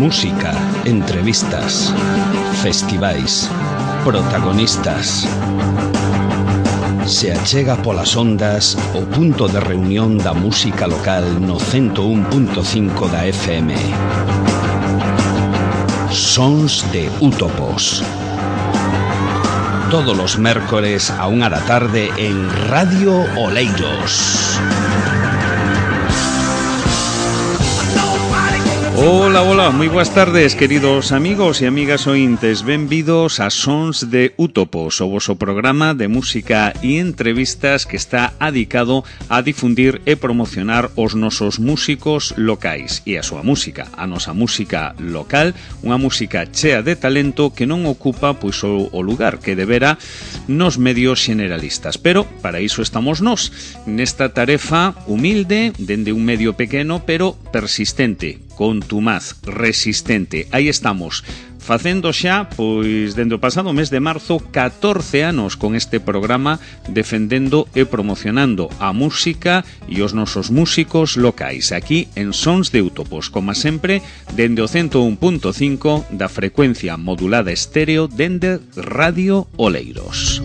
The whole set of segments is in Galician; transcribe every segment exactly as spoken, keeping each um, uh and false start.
Música, entrevistas, festivais, protagonistas. Se achega polas ondas o punto de reunión da música local no ciento un punto cinco da F M. Sons de Útopos. Todos los mércores a unha da tarde en Radio Oleiros. Hola, hola, moi boas tardes, queridos amigos e amigas ointes. Benvidos a Sons de Útopos, o voso programa de música e entrevistas que está adicado a difundir e promocionar os nosos músicos locais e a súa música, a nosa música local, unha música chea de talento que non ocupa pois o, o lugar que debera nos medios generalistas. Pero para iso estamos nós, nesta tarefa humilde, dende un medio pequeno, pero persistente, contumaz, resistente. Aí estamos, facendo xa, pois, dende o pasado mes de marzo, catorce anos con este programa, defendendo e promocionando a música e os nosos músicos locais, aquí en Sons de Útopos, como sempre, dende o ciento un punto cinco da frecuencia modulada estéreo dende Radio Oleiros.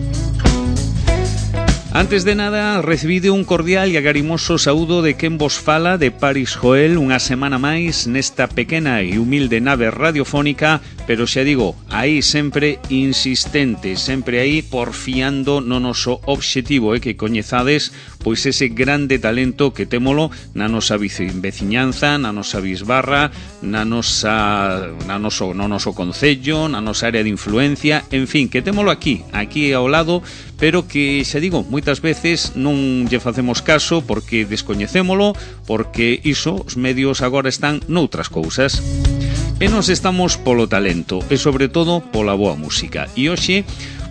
Antes de nada, recibide un cordial e agarimoso saúdo de quen vos fala, de Paris Joel, unha semana máis nesta pequena e humilde nave radiofónica, pero xa digo, aí sempre insistente, sempre aí porfiando no noso obxectivo, eh, que coñezades pois ese grande talento que témolo na nosa veciñanza, na nosa bisbarra, na nosa, na noso, no noso concello, na nosa área de influencia, en fin, que témolo aquí, aquí ao lado, pero que, xa digo, moitas veces non lle facemos caso porque descoñecémolo, porque iso, os medios agora están noutras cousas. E nos estamos polo talento e, sobre todo, pola boa música. E hoxe,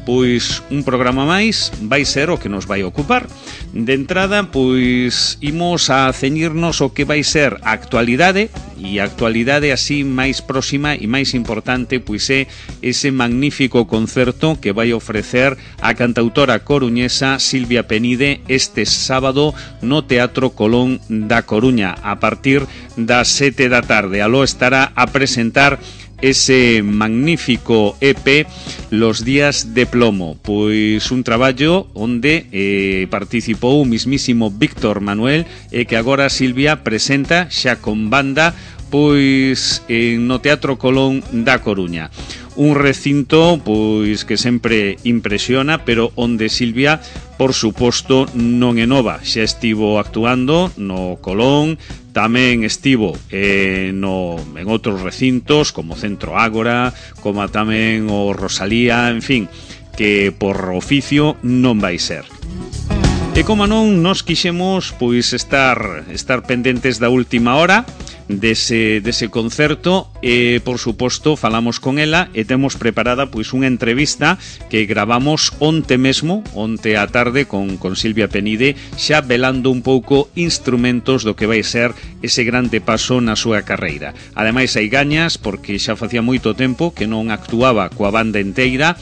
pois, un programa máis vai ser o que nos vai ocupar. De entrada, pois, imos a ceñirnos o que vai ser a actualidade, e a actualidade así máis próxima e máis importante, pois é ese magnífico concerto que vai ofrecer a cantautora coruñesa Silvia Penide este sábado no Teatro Colón da Coruña a partir das sete da tarde. Aló estará a presentar ese magnífico E P Los días de plomo, pois un traballo onde eh, participou o mismísimo Víctor Manuel e que agora Silvia presenta xa con banda pois en no Teatro Colón da Coruña. Un recinto pois que sempre impresiona, pero onde Silvia, por suposto, non é nova. Xa estivo actuando no Colón, tamén estivo eh, no, en outros recintos como Centro Ágora, como tamén o Rosalía, en fin, que por oficio non vai ser. E como non, nos quixemos pois estar estar pendentes da última hora dese, dese concerto e, por suposto, falamos con ela e temos preparada pois unha entrevista que gravamos onte mesmo, onte á tarde con, con Silvia Penide, xa velando un pouco instrumentos do que vai ser ese grande paso na súa carreira. Ademais, hai gañas porque xa facía moito tempo que non actuaba coa banda enteira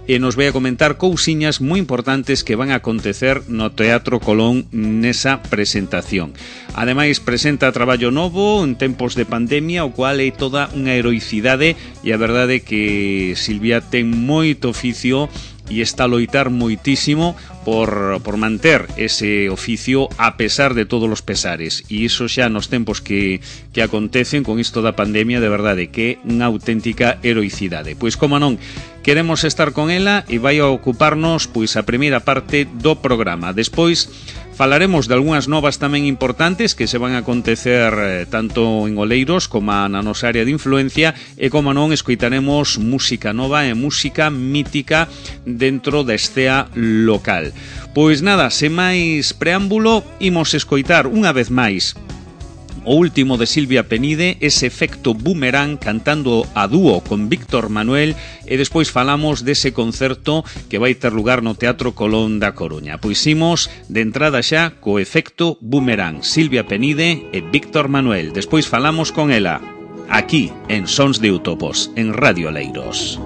e nos vai a comentar cousiñas moi importantes que van a acontecer no Teatro Colón nesa presentación. Ademais, presenta traballo novo en tempos de pandemia, o cual é toda unha heroicidade e a verdade que Silvia ten moito oficio e está a loitar moitísimo por, por manter ese oficio a pesar de todos os pesares, e iso xa nos tempos que, que acontecen con isto da pandemia, de verdade que é unha auténtica heroicidade. Pois como non, queremos estar con ela e vai a ocuparnos pois a primeira parte do programa. Despois falaremos de algunhas novas tamén importantes que se van a acontecer eh, tanto en Oleiros como na nosa área de influencia, e como non, escoitaremos música nova e música mítica dentro da escena local. Pois nada, sen máis preámbulo, imos escoitar unha vez máis o último de Silvia Penide, ese efecto boomerang cantando a dúo con Víctor Manuel, e despois falamos dese concerto que vai ter lugar no Teatro Colón da Coruña. Pois imos de entrada xa co efecto boomerang, Silvia Penide e Víctor Manuel. Despois falamos con ela, aquí en Sons de Útopos, en Radio Oleiros.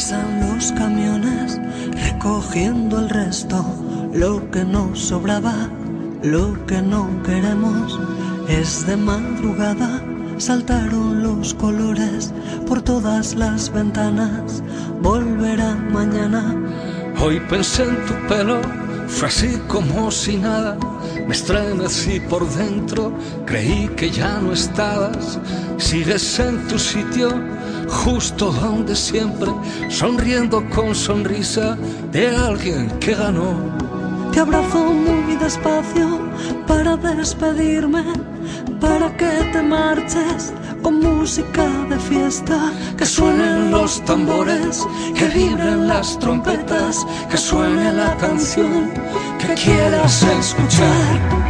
Pasan los camiones, recogen cogiendo el resto, lo que nos sobraba, lo que no queremos. Es de madrugada, saltaron los colores por todas las ventanas. Volverá mañana. Hoy pensé en tu pelo, fue así como si nada. Me estremecí por dentro, creí que ya no estabas. Sigues en tu sitio, justo donde siempre, sonriendo con sonrisa de alguien que ganó. Te abrazo muy despacio para despedirme, para que te marches con música de fiesta. Que suenen los tambores, que vibren las trompetas, que suene la canción que quieras escuchar.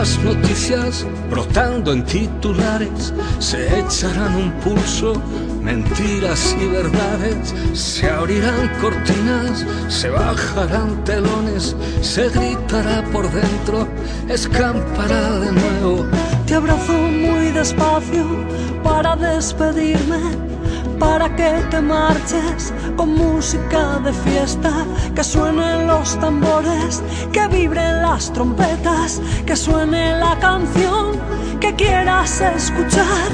Las noticias brotando en titulares, se echarán un pulso, mentiras y verdades, se abrirán cortinas, se bajarán telones, se gritará por dentro, escampará de nuevo. Te abrazo muy despacio para despedirme, para que te marches con música de fiesta. Que suenen los tambores, que vibren las trompetas, que suene la canción que quieras escuchar.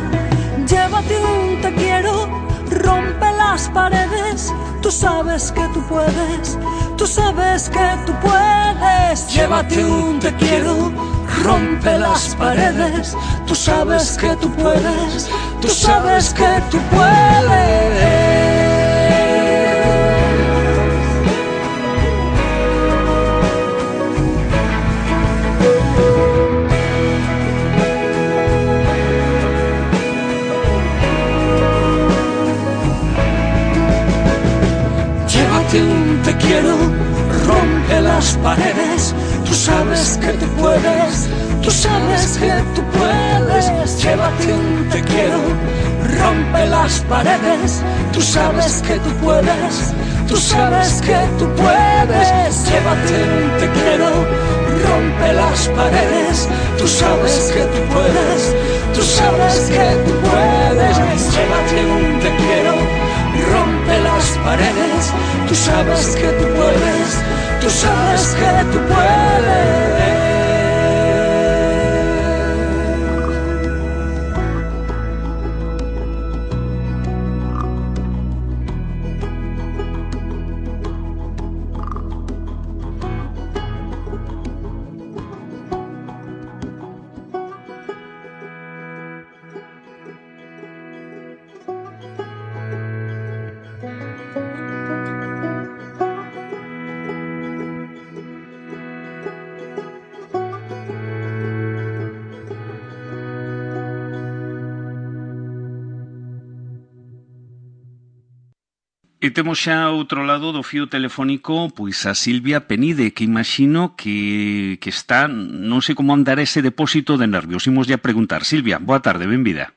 Llévate un te quiero, rompe las paredes. Tú sabes que tú puedes, tú sabes que tú puedes. Llévate un te quiero, rompe las paredes. Tú sabes que tú puedes, tú sabes que tú puedes. Llévate un te quiero, rompe las paredes. Tú sabes que tú puedes, tú sabes que tú puedes. Llévate un te quiero, rompe las paredes. Tú sabes que tú puedes, tú sabes que tú puedes. Llévate un te quiero, rompe las paredes. Tú sabes que tú puedes, tú sabes que tú puedes. Llévate un te quiero, rompe las paredes. Tú sabes que tú puedes, tú sabes que tú puedes. E temos xa outro lado do fío telefónico pois a Silvia Penide, que imagino que, que está, non sei como andar ese depósito de nervios. Imos ya preguntar. Silvia, boa tarde, benvida.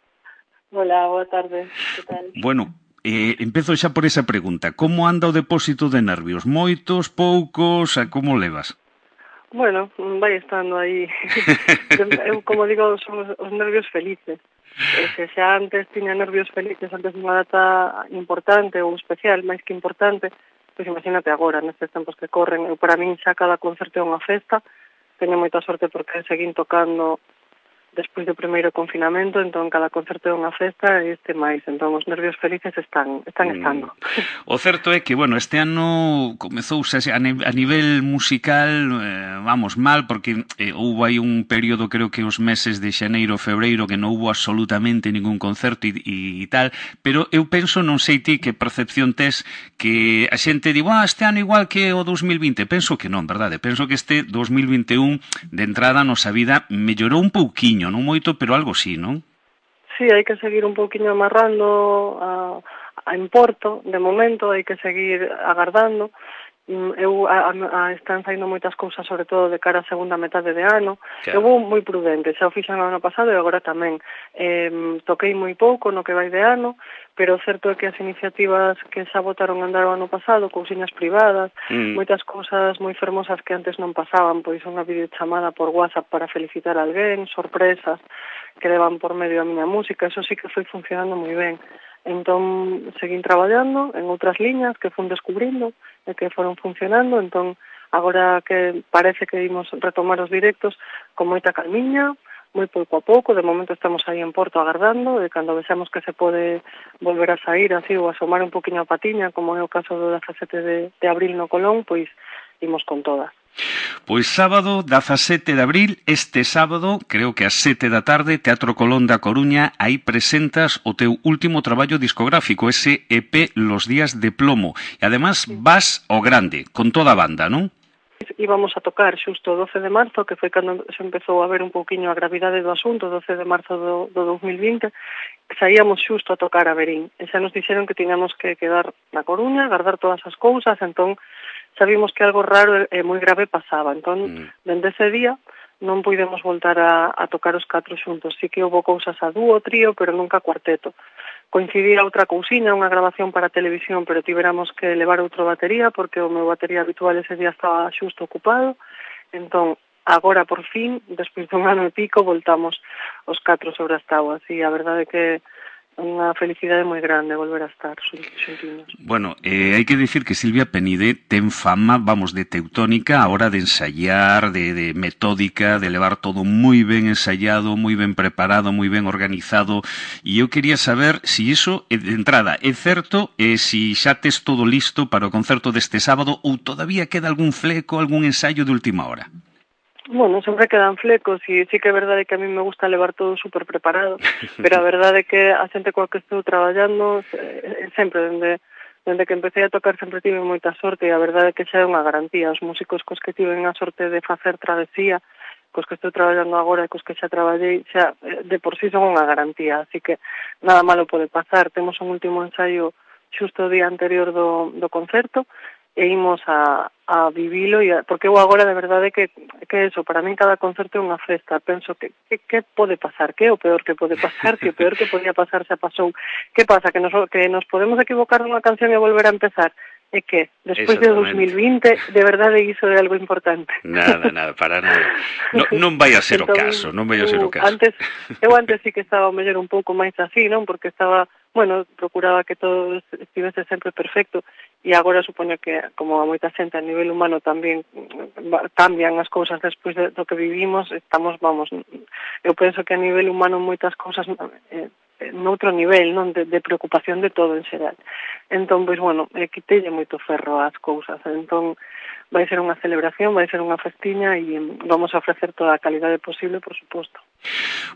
Hola, boa tarde, que tal? Bueno, eh, empezo xa por esa pregunta. Como anda o depósito de nervios? Moitos, poucos, a como levas? Bueno, vai estando aí. Eu, como digo, son os, os nervios felices. E se xa antes tiña nervios felices antes de unha data importante ou especial, máis que importante, pois imagínate agora, nestes tempos que corren. Eu, para min, xa cada concerto é unha festa. Teño moita sorte porque seguín tocando despois do primeiro confinamento, entón cada concerto é unha festa e este máis, entón os nervios felices están están estando. Mm. O certo é que, bueno, este ano comezou a, a nivel musical, eh, vamos, mal, porque eh, houve aí un período, creo que os meses de xaneiro, febreiro, que non houve absolutamente ningún concerto e, e, e tal, pero eu penso, non sei ti que percepción tes, que a xente di, ah, este ano igual que o dos mil vinte, penso que non, verdade? Penso que este dos mil vinte e un, de entrada, nosa vida mellorou un pouquiño, non moito, pero algo sí, non? Sí, hai que seguir un pouquiño amarrando a, a en Porto, de momento, hai que seguir agardando. eu a, a, están saindo moitas cousas, sobre todo de cara a segunda metade de ano. Claro. Eu vou moi prudente, xa o fixen no ano pasado e agora tamén. Eh, toquei moi pouco no que vai de ano, pero o certo é que as iniciativas que xa botaron a andar o ano pasado, cousiñas privadas, mm. moitas cousas moi fermosas que antes non pasaban, pois unha videochamada por WhatsApp para felicitar a alguén, sorpresas que levan por medio a miña música, eso sí que foi funcionando moi ben. Entón, seguín traballando en outras liñas que fun descubrindo e que foron funcionando, entón, agora que parece que imos retomar os directos con moita calmiña, moi pouco a pouco, de momento estamos aí en Porto agardando, e cando vexamos que se pode volver a sair así ou asomar un poquinho a patiña, como é o caso do dezasete de, de abril no Colón, pois imos con todas. Pois sábado, dezasete de abril, este sábado, creo que ás sete da tarde, Teatro Colón da Coruña, aí presentas o teu último traballo discográfico, ese E P Los días de plomo. E además vas ao grande, con toda a banda, non? Íbamos a tocar xusto o doce de marzo, que foi cando se empezou a ver un pouquiño a gravidade do asunto, doce de marzo do, do dos mil vinte, saíamos xusto a tocar a Verín. E xa nos dixeron que tiñamos que quedar na Coruña, guardar todas as cousas, entón sabimos que algo raro e moi grave pasaba. Entón, mm. dende ese día, non puidemos voltar a, a tocar os catro xuntos. Sí que houve cousas a dúo, trío, pero nunca cuarteto. Coincidía outra cousiña, unha grabación para televisión, pero tiveramos que levar outro batería, porque o meu batería habitual ese día estaba xusto ocupado. Entón, agora, por fin, despois dun ano e pico, voltamos os catro sobre as tábuas. E a verdade é que unha felicidade moi grande volver a estar xuntinos. Bueno, eh, hai que dicir que Silvia Penide ten fama, vamos, de teutónica a hora de ensayar, de, de metódica, de levar todo moi ben ensayado, moi ben preparado, moi ben organizado, e eu quería saber se si iso, de entrada, é certo, e se si xa tes todo listo para o concerto deste sábado ou todavía queda algún fleco, algún ensaio de última hora? Bueno, sempre quedan flecos e sí que é verdade que a mí me gusta levar todo super preparado, pero a verdade é que a xente coa que estou traballando sempre, dende, dende que empecé a tocar, sempre tive moita sorte e a verdade é que xa é unha garantía. Os músicos cos que tiven a sorte de facer travesía, cos que estou traballando agora e cos que xa traballei, xa de por sí son unha garantía, así que nada malo pode pasar. Temos un último ensaio xusto o día anterior do, do concerto, e imos a, a vivilo, e a, porque eu agora de verdade que, que eso, para min cada concerto é unha festa. Penso que, que, que pode pasar, que é o peor que pode pasar, que o peor que podía pasar xa pasou. Que pasa, que nos, que nos podemos equivocar nunha canción e volver a empezar? É que, despois de dos mil vinte, de verdade iso é algo importante. Nada, nada, para nada. No, non vai a ser entón, o caso, non vai a ser o caso. Antes, eu antes sí que estaba mellor un pouco máis así, non? Porque estaba, bueno, procuraba que todo estivese sempre perfecto, e agora supoño que, como a moita xente a nivel humano tamén cambian as cousas despois de, do que vivimos, estamos, vamos, eu penso que a nivel humano moitas cousas eh, noutro nivel, non, de, de preocupación de todo en xeral. Entón, pois, bueno, eh, quitelle moito ferro ás cousas, entón vai ser unha celebración, vai ser unha festiña e vamos a ofrecer toda a calidade posible, por suposto.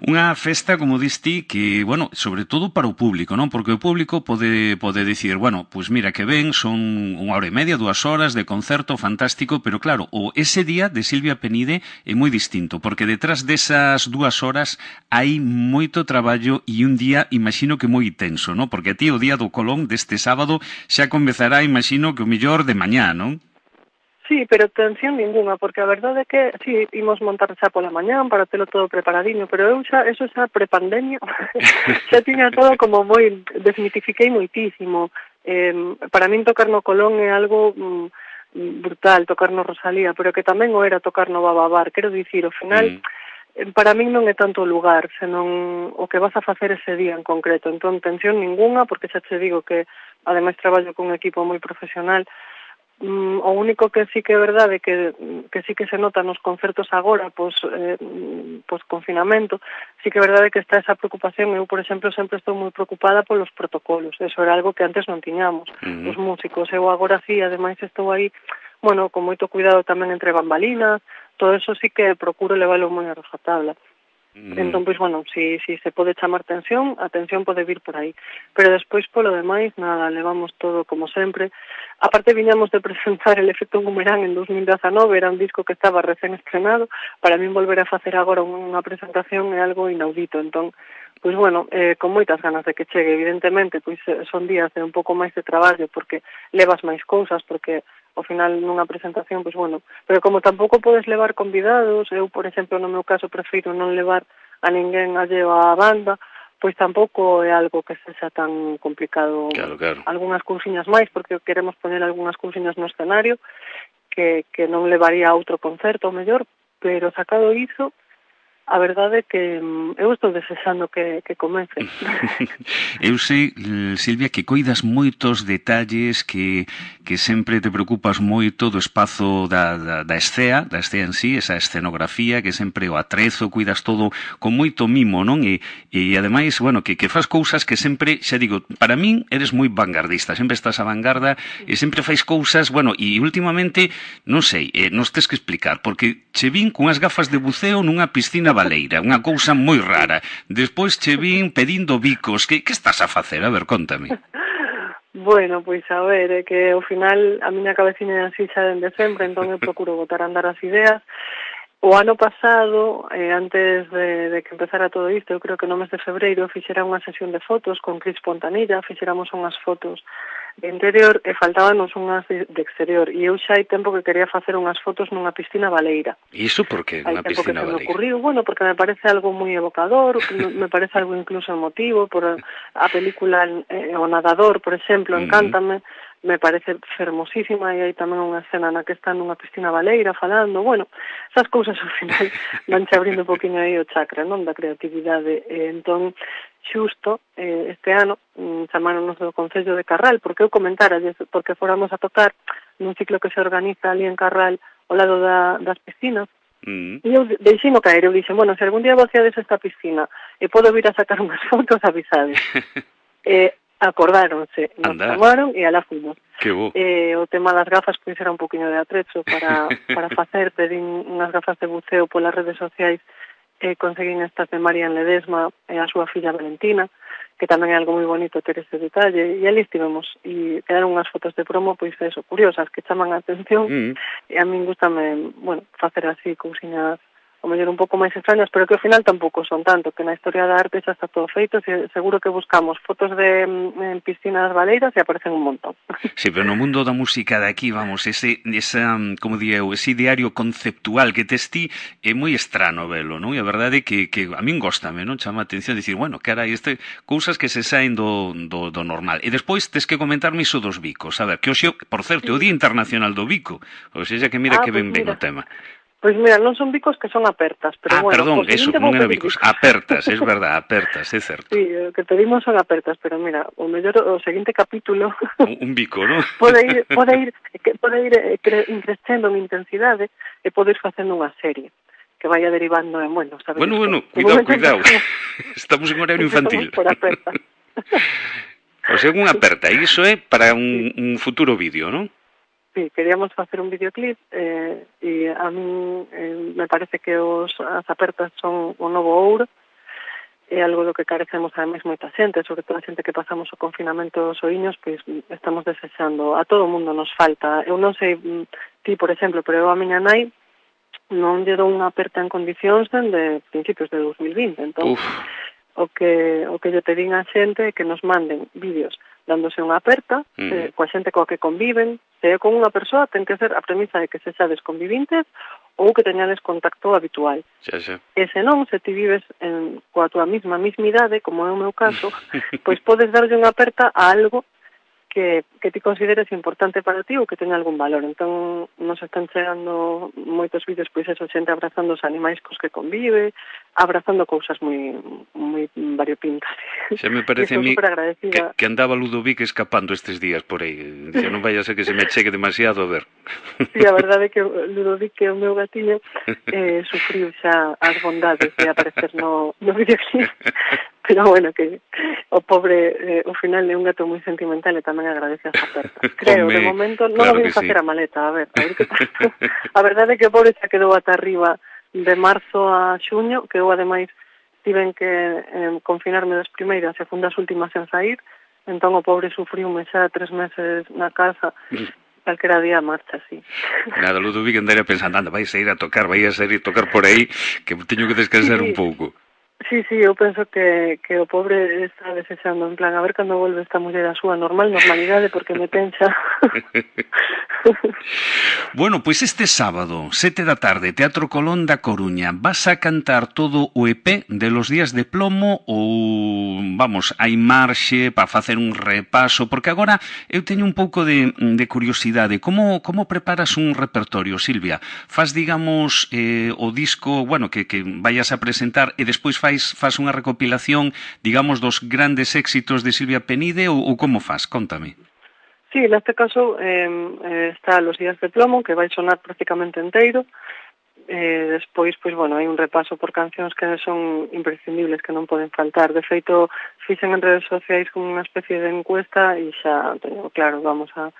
Unha festa, como diste, que, bueno, sobre todo para o público, non? Porque o público pode, pode dicir, bueno, pois mira que ben, son unha hora e media, dúas horas de concerto fantástico, pero claro, o ese día de Silvia Penide é moi distinto, porque detrás desas dúas horas hai moito traballo e un día, imagino que moi tenso, non? Porque a ti o día do Colón deste sábado xa comezará, imagino que o mellor de mañá, non? Sí, pero tensión ninguna, porque a verdade é que sí, imos montar xa pola mañán para telo todo preparadiño, pero eu xa, eso xa prepandemia, xa tiña todo como moi, desmitifiquei moitísimo. Eh, para min tocar no Colón é algo mm, brutal, tocar no Rosalía, pero que tamén o era tocar no Bababar, quero dicir, ao final, mm. para min non é tanto o lugar, senón o que vas a facer ese día en concreto. Entón, tensión ninguna, porque xa te digo que, ademais, traballo con un equipo moi profesional. Mm, o único que sí que é verdade que, que sí que se nota nos concertos agora, pois, eh, pois confinamento, sí que é verdade que está esa preocupación. Eu, por exemplo, sempre estou moi preocupada polos protocolos, eso era algo que antes non tiñamos, uh-huh. os músicos. Eu agora sí, ademais estou aí, bueno, con moito cuidado tamén entre bambalinas, todo eso sí que procuro leválo moi a rajatabla. Mm. Entón, pois, bueno, si, si se pode chamar tensión, a tensión pode vir por aí. Pero despois, polo demais, nada, levamos todo como sempre. Aparte, viñamos de presentar El efecto Boomerang en dos mil dezanove, era un disco que estaba recén estrenado. Para min volver a facer agora unha presentación é algo inaudito. Entón, pois, bueno, eh, con moitas ganas de que chegue. Evidentemente, pois son días de un pouco máis de traballo, porque levas máis cousas, porque ao final nunha presentación, pois bueno, pero como tampouco podes levar convidados, eu, por exemplo, no meu caso prefiro non levar a ninguén alleo á banda, pois tampouco é algo que sexa tan complicado. Claro, claro. Algúnas cousiñas máis, porque queremos poñer algunhas cousiñas no escenario que, que non levaría a outro concerto, o mellor, pero sacado iso, a verdade é que eu estou desexando que, que comece. Eu sei, Silvia, que coidas moitos detalles, que, que sempre te preocupas moito do espazo da, da, da escea, da escea en sí, esa escenografía, que sempre o atrezo, cuidas todo con moito mimo, non? E, e ademais, bueno, que, que faz cousas que sempre, xa digo, para min eres moi vanguardista, sempre estás a vanguarda e sempre fais cousas, bueno, e últimamente, non sei, eh, nos tes que explicar, porque che vin cunhas gafas de buceo nunha piscina baleira, unha cousa moi rara. Despois che vin pedindo bicos. Que, que estás a facer? A ver, contame. Bueno, pois a ver, é que ao final a miña cabeciña é así xa dende sempre, entón eu procuro botar a andar as ideas. O ano pasado, eh, antes de, de que empezara todo isto, eu creo que no mes de febreiro, fixera unha sesión de fotos con Cris Pontanilla, fixéramos unhas fotos de interior e faltábanos unhas de, de exterior. E eu xa hai tempo que quería facer unhas fotos nunha piscina baleira. E iso por que nunha piscina baleira? Hai tempo que se me ocurriu, bueno, porque me parece algo moi evocador, me parece algo incluso emotivo, por a película eh, O Nadador, por exemplo, encántame, mm-hmm. me parece fermosísima, e hai tamén unha escena na que está nunha piscina baleira falando, bueno, esas cousas ao final vanche abrindo un poquinho aí o chakra, non, da creatividade. E entón, xusto, eh, este ano, mm, chamáronos do Concello de Carral, porque eu comentara, porque fóramos a tocar nun ciclo que se organiza ali en Carral, ao lado da, das piscinas, mm. e eu deixino caer, eu dixen, bueno, se algún día vaciades esta piscina e podo vir a sacar unhas fotos, avisades. e acordáronse, nos chamaron e alá fuimos. Que bo. Eh, o tema das gafas pois era un poquinho de atrezo para, para facer, pedín unhas gafas de buceo polas redes sociais, e conseguín estas de Marian Ledesma e a súa filla Valentina, que tamén é algo moi bonito ter ese detalle, e ali estivemos, e quedaron unhas fotos de promo, pois eso, curiosas, que chaman a atención, mm. e a min gustame, bueno, facer así cousiñas o mellor un pouco máis extrañas, pero que ao final tampouco son tanto, que na historia da arte xa está todo feito, e seguro que buscamos fotos de en piscinas baleiras e aparecen un montón. Sí, pero no mundo da música de aquí, vamos, ese, esa, como diría eu, ese ideario conceptual que tes ti é moi estrano velo, non? E a verdade é que, que a min góstame, non? Chama a atención dicir, bueno, carai, este, cousas que se saen do, do, do normal. E despois tes que comentarme iso dos bicos. A ver, que hoxe, por certo, é o Día Internacional do Bico. Ou seja, que mira ah, que ben ben o tema. Pois mira, non son bicos que son apertas, pero ah, bueno... Ah, perdón, eso, non era bicos, apertas, es verdad, apertas, é certo. Sí, o que pedimos son apertas, pero mira, o mellor, o seguinte capítulo... Un, un bico, non? pode ir, pode ir, pode ir increcendo en intensidade e pode ir facendo unha serie que vaya derivando en, bueno, sabes... Bueno, bueno, cuidado, cuidado, estamos en horario infantil. Por aperta. O sea, unha aperta, e iso é para un, un futuro vídeo, non? Sí, queríamos facer un videoclip eh, e a mí eh, me parece que os, as apertas son o novo ouro, é algo do que carecemos ademais moita xente, sobre todo a xente que pasamos o confinamento soiños, pois estamos desexando, a todo o mundo nos falta. Eu non sei ti, por exemplo, pero eu a miña nai non lle dou unha aperta en condicións de principios de dos mil vinte, entón Uf. o que o que lle pedín a xente é que nos manden vídeos dándose unha aperta, mm. eh, coa xente coa que conviven, se é con unha persoa, ten que ser a premisa de que se xades convivintes ou que teñades contacto habitual. Xa, xa. E se non, se ti vives en, coa tua mesma mismidade, como é o meu caso, pois podes darlle unha aperta a algo que, que ti consideres importante para ti ou que teña algún valor. Entón, nos están chegando moitos vídeos, pois eso, xente abrazando os animais cos que convive, abrazando cousas moi moi variopintas. Xa me parece a mí que, que andaba Ludovic escapando estes días por aí. Dice, non vai a ser que se me chegue demasiado a ver. Sí, a verdade é que Ludovic, que é o meu gatiño, eh, sufriu xa as bondades de aparecer no, no videoclip. Pero bueno, que o pobre, eh, ao final é un gato moi sentimental e tamén agradece as apertas. Creo, Home, de momento, non claro o vim facer sí. a maleta, a ver, a ver que pasa. A verdade é que o pobre xa quedou ata arriba de marzo a xuño, que eu ademais tiven que eh, confinarme das primeiras e fun das últimas en sair, entón o pobre sufriume xa tres meses na casa, calquera día marcha, así. Nada, Ludovic andaría pensando, anda, vais a ir a tocar, vais a ir a tocar por aí, que teño que descansar sí. un pouco. Sí, sí, eu penso que, que o pobre está desexando, en plan, a ver cando volve esta muller a súa normal normalidade, porque me tenxa. Bueno, pois este sábado, sete da tarde, Teatro Colón da Coruña, vas a cantar todo o E P de Los Días de Plomo ou, vamos, hai marxe para facer un repaso? Porque agora eu teño un pouco de, de curiosidade. Como, como preparas un repertorio, Silvia? Faz, digamos, eh, o disco, bueno, que, que vayas a presentar e despois faz faz unha recopilación, digamos, dos grandes éxitos de Silvia Penide ou, ou como faz? Contame. Sí, neste caso eh, está Los Días de Plomo, que vai sonar prácticamente enteiro. Eh, despois, pois, bueno, hai un repaso por cancións que son imprescindibles, que non poden faltar. De feito, fixen en redes sociais como unha especie de encuesta e xa teño claro, vamos a,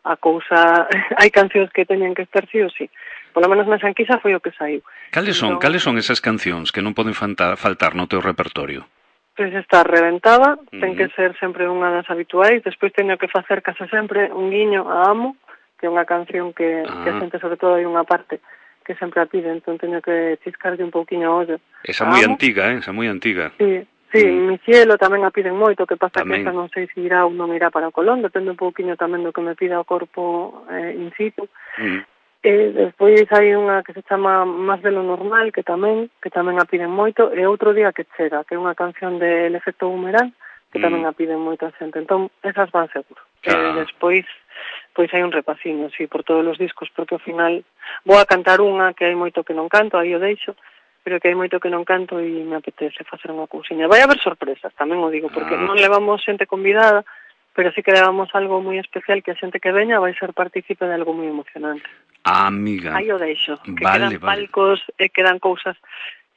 a cousa... hai cancións que teñen que estar sí ou sí. Por lo menos na Xanquisa foi o que saiu. Cales son, entón, cales son esas cancións que non poden faltar, faltar no teu repertorio? Pois está reventada, Uh-huh. ten que ser sempre unha das habituais, despois teño que facer case sempre un guiño a Amo, que é unha canción que, ah. que a xente, sobre todo, hai unha parte que sempre a pide, entón teño que chiscarlle un pouquiño a ollo. Esa moi antiga, eh? Esa moi antiga. Sí, sí, mm. Mi cielo tamén a piden moito, que pasa tamén. que esa non sei se irá ou non irá para o Colón, depende un pouquiño tamén do que me pida o corpo eh, in situ. Mm. E despois hai unha que se chama Más de lo normal, que tamén que tamén a piden moito, e Outro día que chega, que é unha canción del efecto Boomerang, que mm. tamén a piden moita xente. Entón, esas van seguro. Ah. E despois, pois hai un repasinho, sí, por todos os discos, porque ao final vou a cantar unha que hai moito que non canto, aí o deixo, pero que hai moito que non canto e me apetece facer unha cousiña. Vai haber sorpresas, tamén o digo, porque ah. non levamos xente convidada, pero sí que levamos algo moi especial, que a xente que veña vai ser partícipe de algo moi emocionante. Ah, amiga. Aí o deixo, que vale, quedan vale. palcos e quedan cousas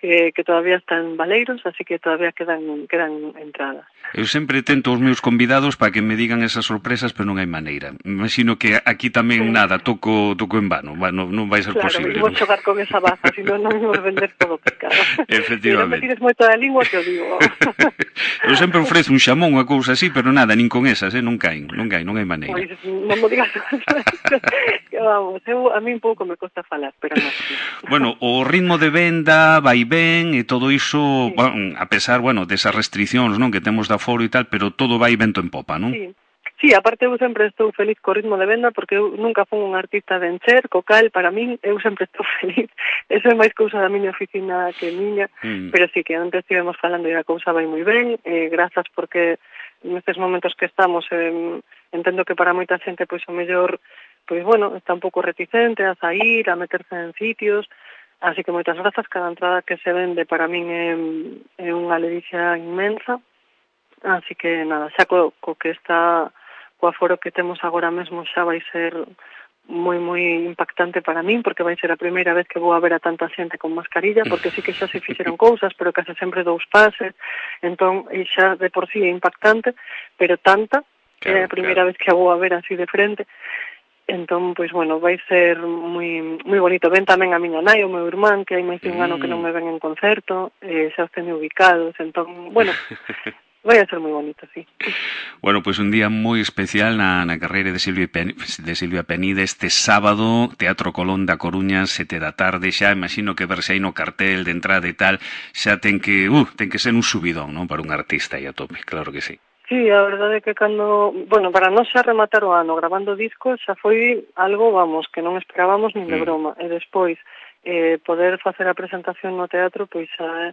que, que todavía están baleiros, así que todavía quedan quedan entradas. Eu sempre tento os meus convidados para que me digan esas sorpresas, pero non hai maneira. Imagino que aquí tamén nada, toco toco en vano, non, non vai ser claro, posible. Claro, vou xogar con esa baza, senón non imos vender todo picado. Efectivamente. E non me tires moito da lingua que o digo. Eu sempre ofrezo un xamón, unha cousa así, pero nada, nin con esas, eh, non caen, non caen, non hai maneira. Pois, non me digas que vamos, eu, a mí un pouco me costa falar, pero non. Bueno, o ritmo de venda vai ben e todo iso, sí. bueno, a pesar, bueno, desas restriccións, non, que temos de aforo e tal, pero todo vai vento en popa, non? Sí. Sí, aparte eu sempre estou feliz co ritmo de venda, porque eu nunca fui un artista de encher, co cal, para min, eu sempre estou feliz. Eso é máis cousa da miña oficina que miña, mm. pero sí que antes estivemos falando e a cousa vai moi ben, eh, grazas porque nestes momentos que estamos, eh, entendo que para moita xente, pois, o mellor, pois, bueno, está un pouco reticente a sair, a meterse en sitios, así que moitas grazas, cada entrada que se vende para min é, é unha ledicia inmensa, así que nada, xa co, co que está co aforo que temos agora mesmo xa vai ser moi moi impactante para min, porque vai ser a primeira vez que vou a ver a tanta xente con mascarilla, porque sí que xa se fixeron cousas, pero case sempre dous pases, entón xa de por sí é impactante, pero tanta, claro, é a primeira claro. vez que a vou a ver así de frente. Entón, pois, bueno, vai ser moi moi bonito. Ven tamén a miña nai, o meu irmán, que hai máis de un ano que non me ven en concerto, eh, xa os teño ubicados, entón, bueno, vai a ser moi bonito, sí. Bueno, pois un día moi especial na, na carreira de Silvia, Pen, de Silvia Penide este sábado, Teatro Colón da Coruña, sete da tarde, xa imagino que verse aí no cartel de entrada e tal, xa ten que, uh, ten que ser un subidón, non, para un artista aí a tope, claro que sí. Sí, a verdade é que cando, bueno, para nós xa rematar o ano grabando discos xa foi algo, vamos, que non esperábamos nin de broma, mm. e despois eh, poder facer a presentación no teatro, pois xa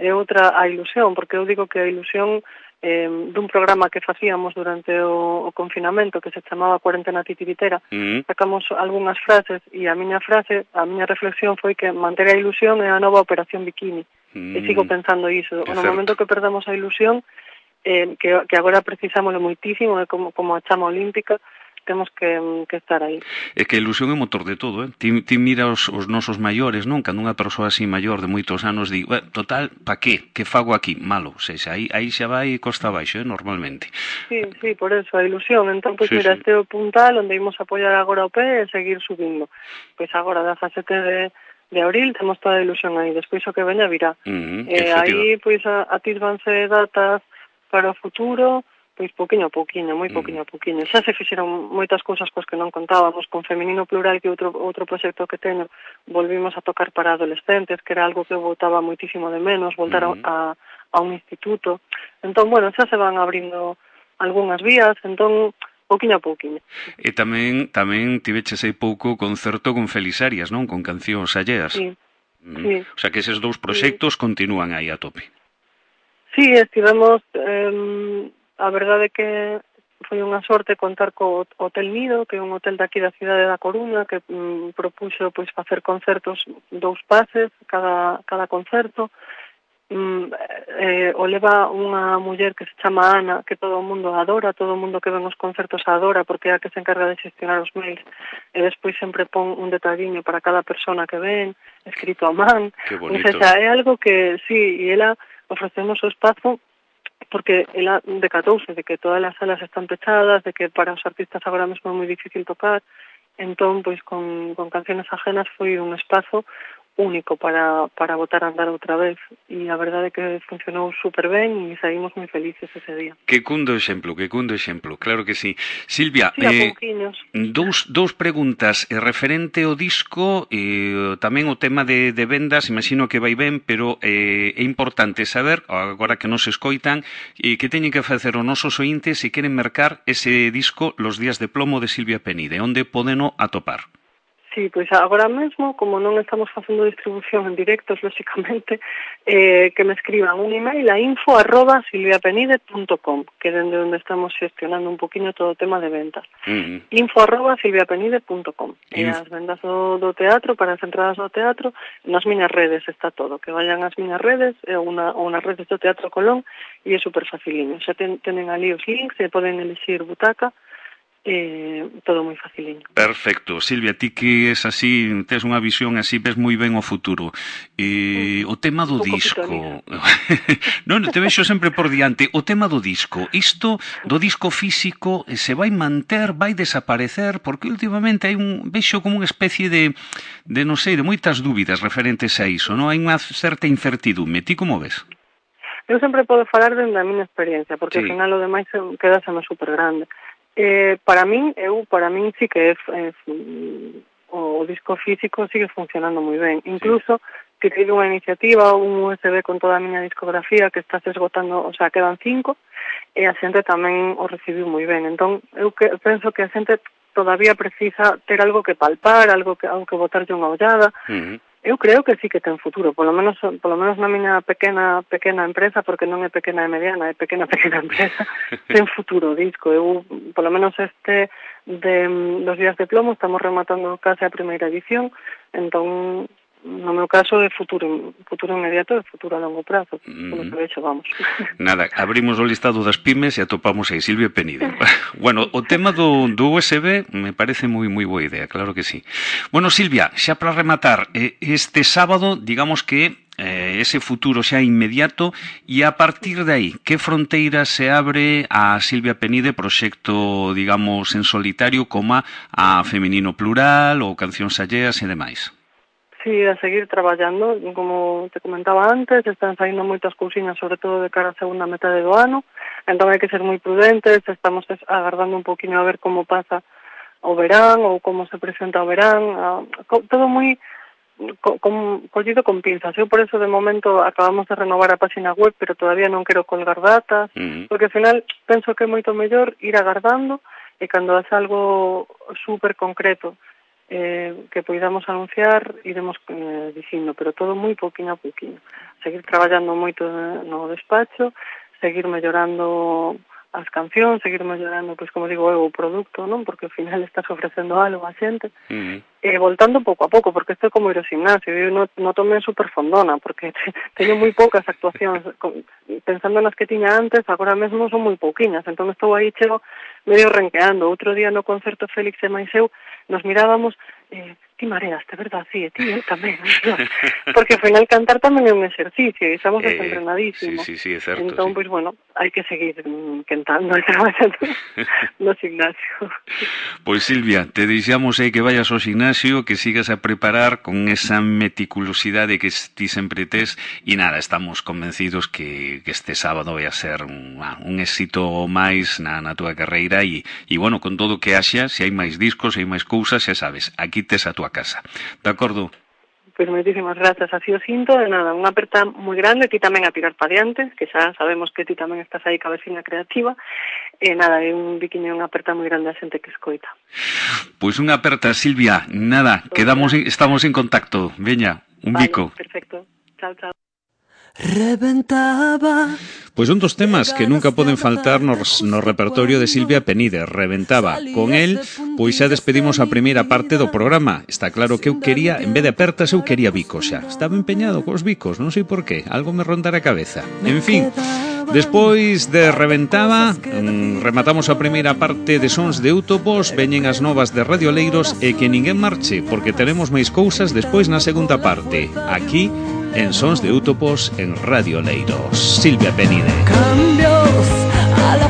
é outra a ilusión, porque eu digo que a ilusión eh, dun programa que facíamos durante o, o confinamento que se chamaba Cuarentena Titiritera, mm. sacamos algunhas frases e a miña frase, a miña reflexión foi que manter a ilusión é a nova operación bikini, mm. e sigo pensando iso, no momento que perdamos a ilusión, Eh, que, que agora precisámoslo moitísimo, é como, como a chama olímpica, temos que, que estar aí. É que a ilusión é motor de todo, eh? Ti, ti mira os, os nosos maiores, non? Cando unha persoa así maior de moitos anos di, eh, total, pa qué? Que fago aquí? Malo, se xa, aí, aí xa vai costa abaixo, eh? Normalmente. Sí, sí, por eso, a ilusión. Entón, pois, pues, sí, mira, sí. Este é o puntal onde imos apoiar agora o pé e seguir subindo. Pois pues agora, dezasete de... de abril, temos toda a ilusión aí. Despois o que veña virá. Uh-huh, eh, aí, pois, pues, a, a tis vanse datas para o futuro, pois pouquiño a pouquiño, moi pouquiño a pouquiño. Xa se fixeron moitas cousas cos que non contábamos, con Feminino Plural, que outro outro proxecto que teño, volvimos a tocar para adolescentes, que era algo que eu botaba moitísimo de menos, voltar uh -huh. a, a un instituto. Entón, bueno, xa se van abrindo algunhas vías, entón, pouquiño a pouquiño. E tamén tamén tiveches aí pouco concerto con Felixarias, non? Con cancións alleas. Sí. Mm. Sí. O sea, que eses dous proxectos sí. continúan aí a tope. Sí, estivemos, eh, a verdade que foi unha sorte contar co Hotel Nido, que é un hotel daqui da cidade da Coruña, que mm, propuxo pois facer concertos dous pases, cada, cada concerto. Mm, eh, o leva unha muller que se chama Ana, que todo o mundo adora, todo o mundo que ven os concertos adora, porque é a que se encarga de xestionar os mails, e despois sempre pon un detalliño para cada persona que ven, escrito a man. Que bonito. O sea, é algo que, sí, e ela ofrecemos o espazo porque ela decatouse de que todas as salas están pechadas, de que para os artistas agora mesmo é moi difícil tocar, entón, pois, con, con canciones ajenas foi un espazo único para, para botar a andar outra vez, e a verdade é que funcionou super ben e saímos moi felices ese día. Que cundo exemplo, que cundo exemplo, claro que sí. Silvia, sí, eh, dous, dous preguntas, eh, referente ao disco, eh, tamén o tema de, de vendas, imagino que vai ben, pero eh, é importante saber, agora que nos escoitan, eh, que teñen que facer os nosos ointes se queren mercar ese disco Los días de plomo de Silvia Penide, onde podeno atopar? Sí, pois agora mesmo, como non estamos facendo distribución en directos, lóxicamente, eh, que me escriban un email a info arroba silviapenide punto com, que é dende onde estamos gestionando un poquinho todo o tema de ventas. Uh -huh. info arroba silviapenide punto com. E as vendas do, do teatro, para as entradas do teatro, nas miñas redes está todo. Que vayan ás miñas redes, ou una, nas redes do Teatro Colón, e é super faciliño. Xa ten, tenen ali os links e poden elixir butaca, Eh, todo moi faciliño. Perfecto. Silvia, ti que es así, tes unha visión así, ves moi ben o futuro. Eh, o tema do disco... non, te vexo sempre por diante. O tema do disco. Isto do disco físico se vai manter, vai desaparecer, porque últimamente hai un vexo como unha especie de, de non sei, de moitas dúbidas referentes a iso, non? Hai unha certa incertidume. Ti como ves? Eu sempre podo falar dende a miña experiencia, porque sí. Ao final o demais quedaseme super grande. Eh, para min, eu, para min sí que é, é, o disco físico sigue funcionando moi ben. Incluso, que tive unha iniciativa, un U S B con toda a miña discografía que está se esgotando, o sea, quedan cinco, e a xente tamén o recibiu moi ben. Entón, eu que, penso que a xente todavía precisa ter algo que palpar, algo que, algo que botarlle unha ollada. Uh -huh. Eu creo que sí que ten futuro, polo menos polo menos na miña pequena pequena empresa, porque non é pequena e mediana, é pequena pequena empresa, ten futuro o disco. Eu, polo menos este de Los días de plomo, estamos rematando case a primeira edición, entón, no meu caso, é futuro futuro inmediato e futuro a longo prazo, mm. polo que vexo, vamos. Nada, abrimos o listado das pymes e atopamos aí Silvia Penide. Bueno, o tema do, do U S B me parece moi moi boa idea, claro que sí. Bueno, Silvia, xa para rematar, este sábado, digamos que eh, ese futuro xa inmediato, e a partir de aí, que fronteira se abre a Silvia Penide, proxecto, digamos, en solitario, como a Feminino Plural ou Cancións Alleas e demais? Sí, a seguir traballando, como te comentaba antes, están saindo moitas cousiñas, sobre todo de cara a segunda metade do ano, entón hai que ser moi prudentes, estamos agardando un poquinho a ver como pasa o verán, ou como se presenta o verán, a, todo moi co, con, collido con pinzas. Eu por eso de momento acabamos de renovar a página web, pero todavía non quero colgar datas, uh-huh. porque ao final penso que é moito mellor ir agardando, e cando hace algo super concreto, Eh, que poidamos anunciar, iremos eh, dicindo, pero todo moi pouquinho a pouquinho. Seguir traballando moito no despacho, seguir mellorando as cancións, seguir mellorando, pois como digo, o produto, non? Porque ao final estás ofrecendo algo a xente. Uh-huh. E voltando pouco a pouco, porque isto é como ir ao gimnasio, eu non no tomei super fondona, porque teño moi poucas actuacións, pensando nas que tiña antes, agora mesmo son moi pouquiñas, entón estou aí chego medio renqueando. Outro día no concerto Félix e máis eu nos mirábamos, eh, ti mareaste, verdad? Sí, ti eu tamén. Porque ao final cantar tamén é un exercicio e estamos eh, entrenadísimos. Sí, sí, sí, é certo. Entón, sí. pois, bueno, hai que seguir cantando e traballando no gimnasio. Pois, Silvia, te deixamos aí que vayas ao gimnasio, que sigas a preparar con esa meticulosidade que ti sempre tes e nada, estamos convencidos que, que este sábado vai a ser un, un éxito máis na, na túa carreira e, e, bueno, con todo o que haxa, se hai máis discos, se hai máis cousas, xa sabes, aquí tes a túa casa. De acordo? Pois moitísimas grazas, así o cinto, e nada, unha aperta moi grande, ti tamén a tirar pa diante, que xa sabemos que ti tamén estás aí cabeciña creativa, e nada, é un biquiño, unha aperta moi grande a xente que escoita. Pois unha aperta, Silvia, nada, quedamos en, estamos en contacto, veña, un vale, bico. Perfecto, chao, chao. Reventaba. Pois un dos temas que nunca poden faltar nos, no repertorio de Silvia Penide, Reventaba. Con el, pois xa despedimos a primeira parte do programa. Está claro que eu quería, en vez de apertas, eu quería bicos xa. Estaba empeñado cos bicos, non sei por qué, algo me rondara a cabeza. En fin, despois de Reventaba, mmm, rematamos a primeira parte de Sons de Útopos, veñen as novas de Radio Leiros e que ninguén marche, porque teremos máis cousas despois na segunda parte. Aquí, en Sons de Útopos, en Radio Leiros. Silvia Penide. Cambios a la